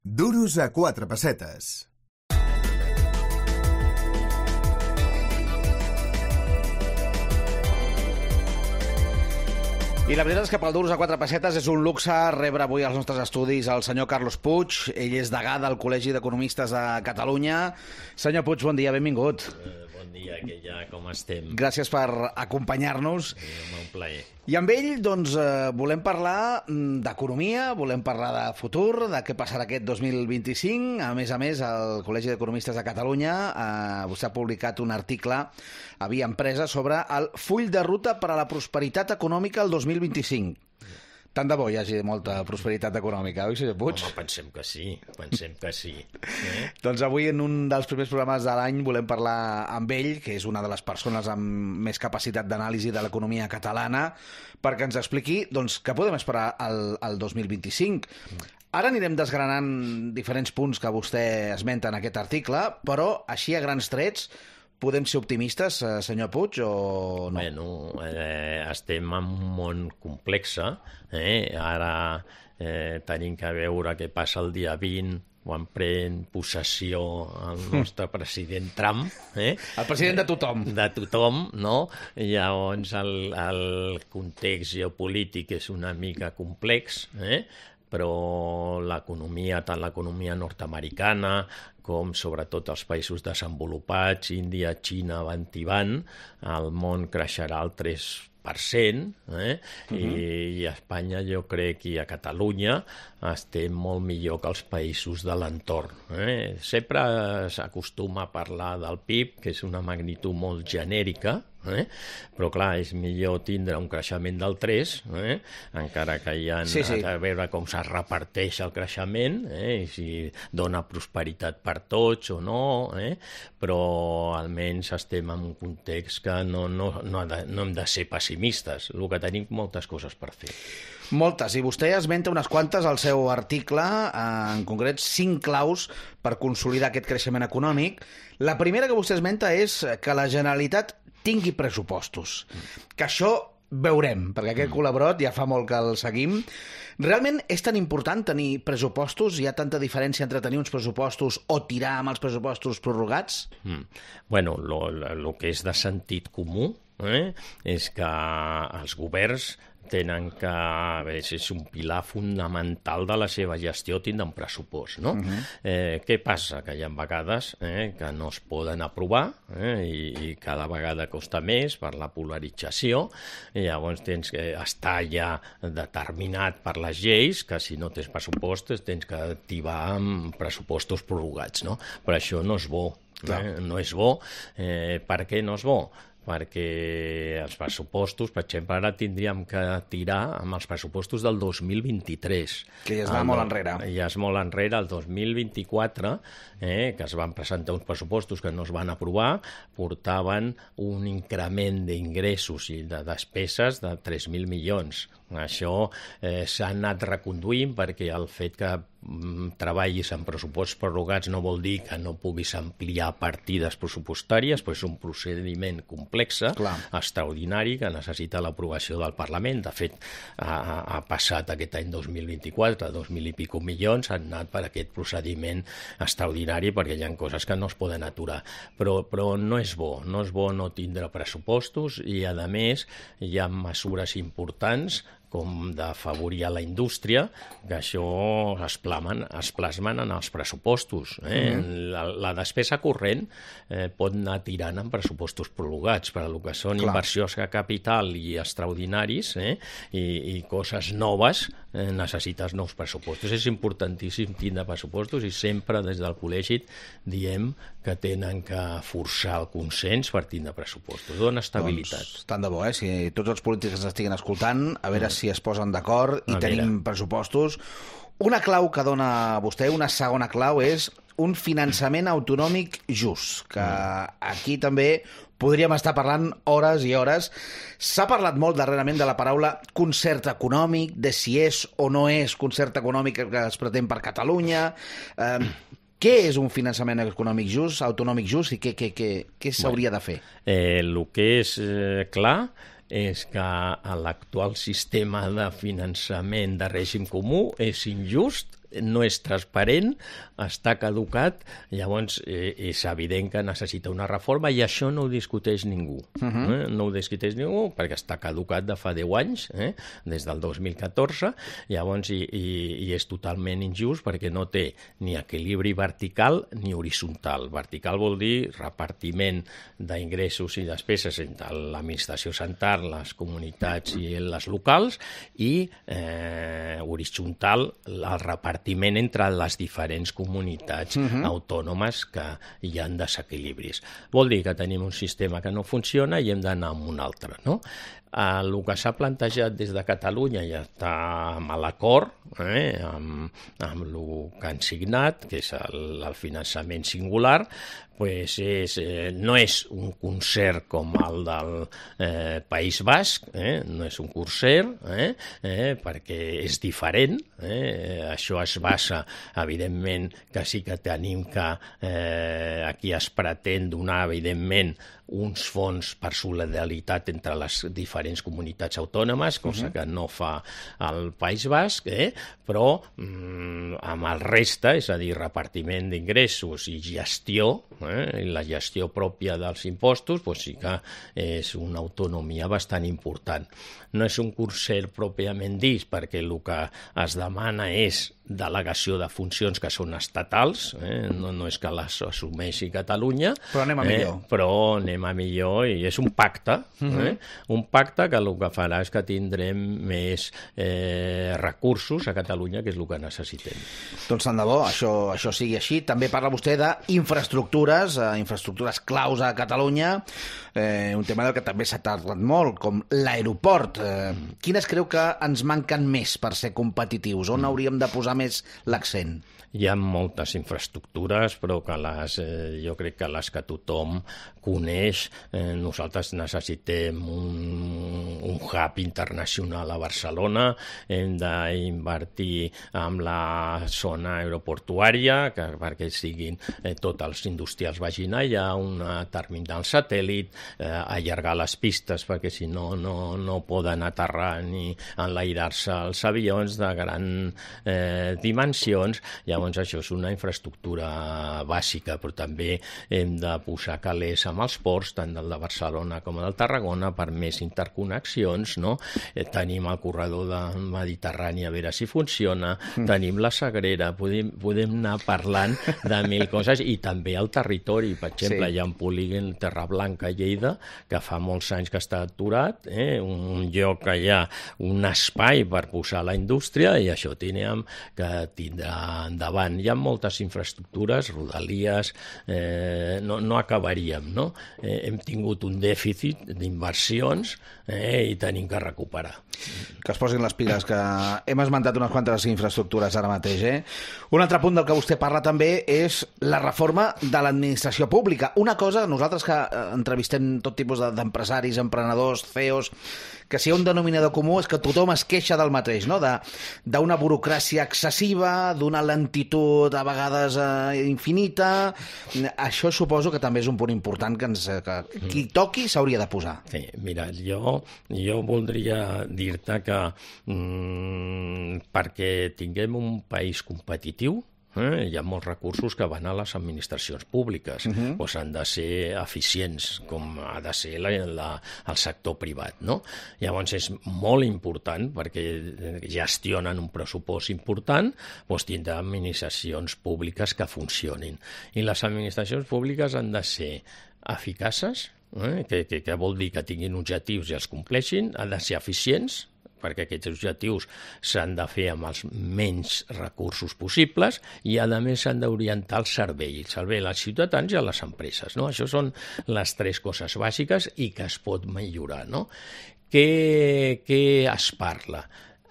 Duros a 4 pessetes. I la veritat és que pel Duros a 4 pessetes és un luxe rebre avui als nostres estudis el senyor Carlos Puig. Ell és degà del Col·legi d'Economistes de Catalunya. Senyor Puig, bon dia, benvingut. Bon dia, que ja com estem. Gràcies per acompanyar-nos. Un plaer. I amb ell, doncs, volem parlar d'economia, volem parlar de futur, de què passarà aquest 2025. A més, el Col·legi d'Economistes de Catalunya vostè ha publicat un article a Via Empresa sobre el full de ruta per a la prosperitat econòmica el 2025. Tant de bo hi hagi molta prosperitat econòmica, oi, senyor Puig? Home, pensem que sí. Doncs avui, en un dels primers programes de l'any, volem parlar amb ell, que és una de les persones amb més capacitat d'anàlisi de l'economia catalana, perquè ens expliqui doncs, què podem esperar al 2025. Ara anirem desgranant diferents punts que vostè esmenta en aquest article, però així a grans trets podem ser optimistes, senyor Puig, o no? Bueno, estem en un món complex. Ara tenim que veure què passa el dia 20, quan pren possessió el nostre president Trump. El president de tothom. De tothom, no? Llavors el context geopolític és una mica complex, però l'economia, tant l'economia nord-americana com sobretot els països desenvolupats, Índia, Xina, van tibant, el món creixerà al 3%, i a Espanya jo crec i a Catalunya estem molt millor que els països de l'entorn. Sempre s'acostuma a parlar del PIB, que és una magnitud molt genèrica, però clar, és millor tindre un creixement del 3, encara que hi ha a veure com es reparteix el creixement, i si dona prosperitat per tots o no, però almenys estem en un context que no hem de ser pessimistes, el que tenim moltes coses per fer. Moltes, i vostè esmenta unes quantes al seu article, en concret 5 claus per consolidar aquest creixement econòmic. La primera que vostè esmenta és que la Generalitat tingui pressupostos. Que això veurem, perquè aquest col·laborat ja fa molt que el seguim. Realment és tan important tenir pressupostos? Hi ha tanta diferència entre tenir uns pressupostos o tirar amb els pressupostos prorrogats? Bueno, el que és de sentit comú és que els governs tenen que, és un pilar fonamental de la seva gestió, tindre un pressupost, no? Què passa? Que hi ha vegades que no es poden aprovar i cada vegada costa més per la polarització, i llavors tens que estar ja determinat per les lleis que si no tens pressupostos tens que activar amb pressupostos prorrogats, no? Però això no és bo, no és bo. Per què no és bo? Perquè els pressupostos, per exemple, ara tindríem que tirar amb els pressupostos del 2023. Que ja es va molt enrere. Ja és molt enrere, el 2024, que es van presentar uns pressupostos que no es van aprovar, portaven un increment d'ingressos i de despeses de 3.000 milions. Això s'ha anat reconduint perquè el fet que treballis en pressuposts prorrogats no vol dir que no puguis ampliar partides pressupostàries, però és un procediment complex, extraordinari, que necessita l'aprovació del Parlament. De fet, ha passat aquest any 2024, 2.000 i pico milions, han anat per aquest procediment extraordinari perquè hi ha coses que no es poden aturar. Però no és bo no tindre pressupostos i, a més, hi ha mesures importants com d'afavorir a la indústria, que això es plasmen en els pressupostos. La despesa corrent pot anar tirant en pressupostos prorrogats, per a lo que són inversions de capital i extraordinaris, i coses noves, necessites nous pressupostos. És importantíssim tindre pressupostos i sempre des del col·legi diem que tenen que forçar el consens per tindre pressupostos. Dona estabilitat. Doncs, tant de bo, si tots els polítics ens estiguin escoltant, a veure si es posen d'acord i tenim pressupostos. Una clau que dona vostè, una segona clau, és un finançament autonòmic just, que aquí també podríem estar parlant hores i hores. S'ha parlat molt darrerament de la paraula concert econòmic, de si és o no és concert econòmic que es pretén per Catalunya. Què és un finançament econòmic just, autonòmic just, i què s'hauria de fer? El que és clar és que l'actual sistema de finançament de règim comú és injust no és transparent, està caducat, llavors és evident que necessita una reforma i això no ho discuteix ningú. No ho discuteix ningú perquè està caducat de fa 10 anys, des del 2014, llavors i és totalment injust perquè no té ni equilibri vertical ni horitzontal. Vertical vol dir repartiment d'ingressos i despeses entre l'administració central, les comunitats i les locals, i horitzontal el repartiment entre les diferents comunitats autònomes que hi ha desequilibris. Vol dir que tenim un sistema que no funciona i hem d'anar amb un altre, no? El que s'ha plantejat des de Catalunya ja està amb l'acord, amb el que han signat, que és el finançament singular, no és un concert com el del País Basc, no és un concert, perquè és diferent. Això es basa, evidentment, que sí que tenim que aquí es pretén donar, evidentment, uns fons per solidaritat entre les diferents comunitats autònomes, cosa que no fa el País Basc, però amb el reste, és a dir, repartiment d'ingressos i gestió, i la gestió pròpia dels impostos, sí que és una autonomia bastant important. No és un concert pròpiament dit, perquè el que es demana és delegació de funcions que són estatals, no és que les assumeixi Catalunya, però anem a millor. Però anem a millor i és un pacte, un pacte que el que farà és que tindrem més recursos a Catalunya, que és el que necessitem. Doncs tant de bo, això sigui així. També parla vostè d'infraestructures, infraestructures claus a Catalunya, un tema del que també s'ha parlat molt, com l'aeroport. Quines creu que ens manquen més per ser competitius? On hauríem de posar més l'accent? Hi ha moltes infraestructures, però que jo crec que les que tothom coneix. Nosaltres necessitem un hub internacional a Barcelona, hem d'invertir en la zona aeroportuària perquè siguin tots els industrials vagin allà, un terminal satèl·lit, allargar les pistes perquè si no, no poden aterrar ni enlairar-se els avions de grans dimensions. Llavors això és una infraestructura bàsica, però també hem de posar calés amb els ports, tant del de Barcelona com del Tarragona, per més interconnexions, no? Tenim el corredor del Mediterrani, a veure si funciona, tenim la Sagrera, podem anar parlant de mil coses, i també el territori. Per exemple, hi ha un polígon Terra Blanca a Lleida, que fa molts anys que està aturat, un lloc que hi ha un espai per posar la indústria, i això tenim que tindrà endavant. Hi ha moltes infraestructures, rodalies, no acabaríem, no? Hem tingut un dèficit d'inversions i tenim que recuperar. Que es posin les piles, que hem esmentat unes quantes infraestructures ara mateix. Un altre punt del que vostè parla també és la reforma de l'administració pública. Una cosa, nosaltres que entrevistem tot tipus d'empresaris, emprenedors, CEOs, que si hi ha un denominador comú és que tothom es queixa del mateix, no? D'una burocràcia excessiva, d'una lentitud a vegades infinita. Això suposo que també és un punt important que qui toqui s'hauria de posar. Sí, mira, jo voldria dir-te que perquè tinguem un país competitiu, hi ha molts recursos que van a les administracions públiques, doncs han de ser eficients, com ha de ser el sector privat, no? Llavors és molt important, perquè gestionen un pressupost important, doncs tindrà administracions públiques que funcionin. I les administracions públiques han de ser eficaces, que vol dir que tinguin objectius i els compleixin, han de ser eficients, perquè aquests objectius s'han de fer amb els menys recursos possibles i, a més, s'han d'orientar el servei als ciutadans i a les empreses, no? Això són les tres coses bàsiques i que es pot millorar, no? Què es parla?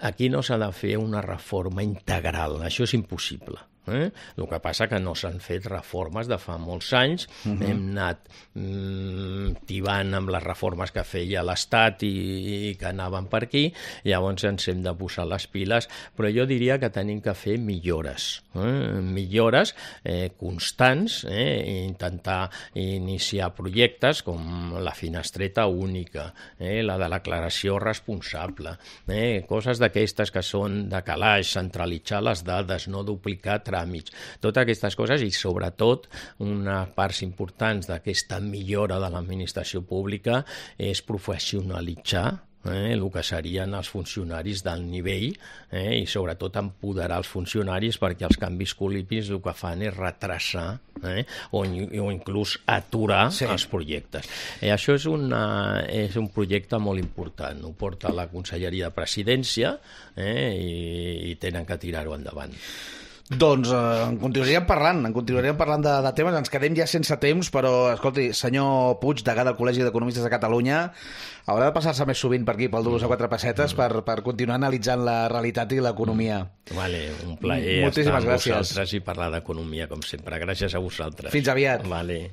Aquí no s'ha de fer una reforma integral, això és impossible. El que passa que no s'han fet reformes de fa molts anys, hem anat tibant amb les reformes que feia l'Estat i que anaven per aquí, llavors ens hem de posar les piles, però jo diria que tenim que fer millores constants, intentar iniciar projectes com la finestreta única, la de l'aclaració responsable, coses d'aquestes que són de calaix, centralitzar les dades, no duplicar tràmits, totes aquestes coses i sobretot una part important d'aquesta millora de l'administració pública és professionalitzar el que serien els funcionaris d'alt nivell i sobretot empoderar els funcionaris perquè els canvis polítics el que fan és retrasar o inclús aturar els projectes. Això és un projecte molt important, ho porta la Conselleria de Presidència i tenen que tirar-ho endavant. Doncs en continuaríem parlant de temes, ens quedem ja sense temps, però escolti, senyor Puig, degà del Col·legi d'Economistes de Catalunya, haurà de passar-se més sovint per aquí, pel Duros a 4 pessetes, per continuar analitzant la realitat i l'economia. Vale, un plaer estar amb vosaltres i parlar d'economia, com sempre. Gràcies a vosaltres. Fins aviat. Vale.